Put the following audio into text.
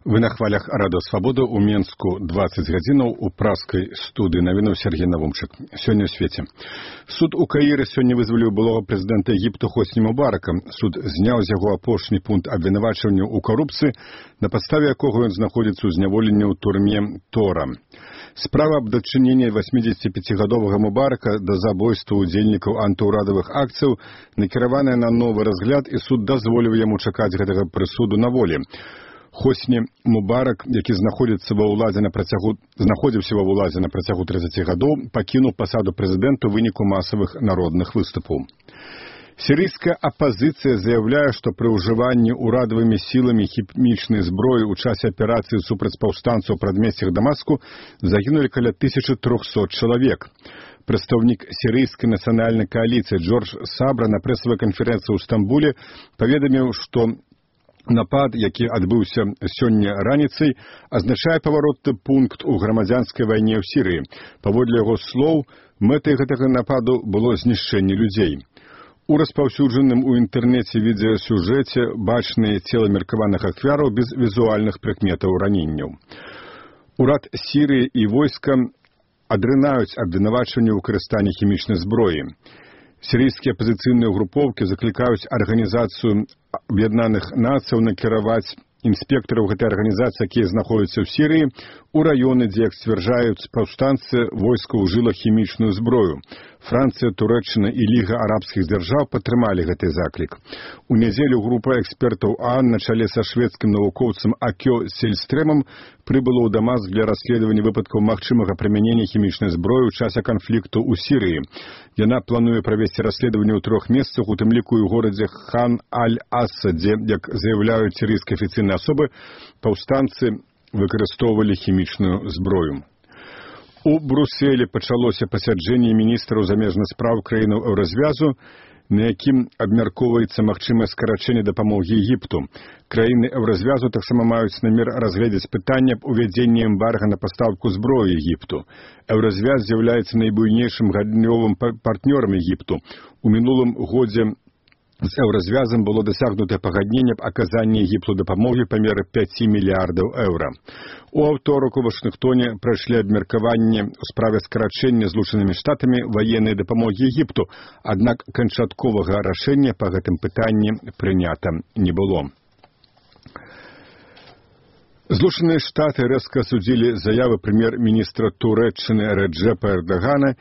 Вы на хвалях Радио Свобода у Менску 20 гадзінаў у праскай студыі навінаў Сергей Навумчык. Сёння ў свеце. Суд у Каіры сёння вызваліў былога прэзідэнта Егіпту Хосні Мубарака. Суд зняў з яго апошні пункт абвінавачвання ў карупцыі, на падставе якога ён знаходзіцца ў зняволенні ў турме Тора. Справа аб дачыненні 85-гадовага Мубарака да забойства ўдзельнікаў антыўрадавых акцыяў накіраваная на новы разгляд, і суд дазволіў яму чакаць гэтага прысуду на волі. Хосні Мубарак, які знаходзіўся ва ўладзе на працягу 30 гадоў, пакінуў пасаду прэзідэнта ў выніку масавых народных выступаў. Сірыйская апазіцыя заяўляе, што пры ўжыванні ўрадавымі сіламі хімічнай зброі ў часе аперацыі супраць паўстанцаў у прадмесцях Дамаску загінулі каля 1300 чалавек. Прадстаўнік сірыйскай нацыянальнай кааліцыі Джордж Сабра на прэсавай канферэнцыі ў Стамбуле паведаміў, што напад, які адбыўся сёння раніцай, азначае паваротны пункт у грамадзянскай вайне ў Сірыі. Паводле яго слоў, мэтай гэтага нападу было знішчэнне людзей. У распаўсюджаным у інтэрнэце відэасюжэце бачныя цела меркаваных ахвяраў без візуальных прыкметаў раненняў. Урад Сірыі і войска адрынаюць абвінавачванне ў выкарыстанні хімічнай зброі. Сірыйскія апазіцыйныя групоўкі заклікаюць Арганізацыю Аб'яднаных Нацыяў накіраваць інспектараў гэтай арганізацыі, якія знаходзяцца ў Сірыі, у раёны, дзе, як сцвярджаюць паўстанцы, войска ўжыла хімічную зброю. Францыя, Турэччына і Ліга арабскіх дзяржаў падтрымалі гэты заклік. У нядзелю група экспертаў ААН на чале са шведскім навукоўцам Акё Сельстрэмам прыбыла ў Дамаск для расследавання выпадкаў магчымага прымянення хімічнай зброі ў часе канфлікту ў Сірыі. Яна плануе правесці расследаванне ў 3 месцах, у тым ліку і ў горадзе Хан-Аль-Асаде, як заяўляюць сірыйскія афіцыйныя асобы, паўстанцы выкарыстоўвалі хімічную зброю. У Брюсселі пачалося пасяджэнне міністраў замежных спраў краінаў еўразвязу, на якім абмяркоўваецца магчымае скарачэнне дапамогі Егіпту. Краіны еўразвязу таксама маюць намер разгледзець пытанне аб увядзенні эмбарга на пастаўку зброі Егіпту. Еўразвяз з'яўляецца найбуйнейшым гандлёвым партнёрам Егіпту. У мінулым годзе з еўразвязам было дасягнутае пагадненне аб аказанні Егіпту дапамогі памеры 5 мільярдаў еўра. У аўторак у Вашынгтоне прайшлі абмеркаванне ў справе скарачэння Злучанымі Штатамі ваеннай дапамогі Егіпту, аднак канчатковага рашэння па гэтым пытанні прынята не было. Злучаныя Штаты рэзка асудзілі заявы прэм'ер-міністра Турэччыны Реджепа Эрдогана,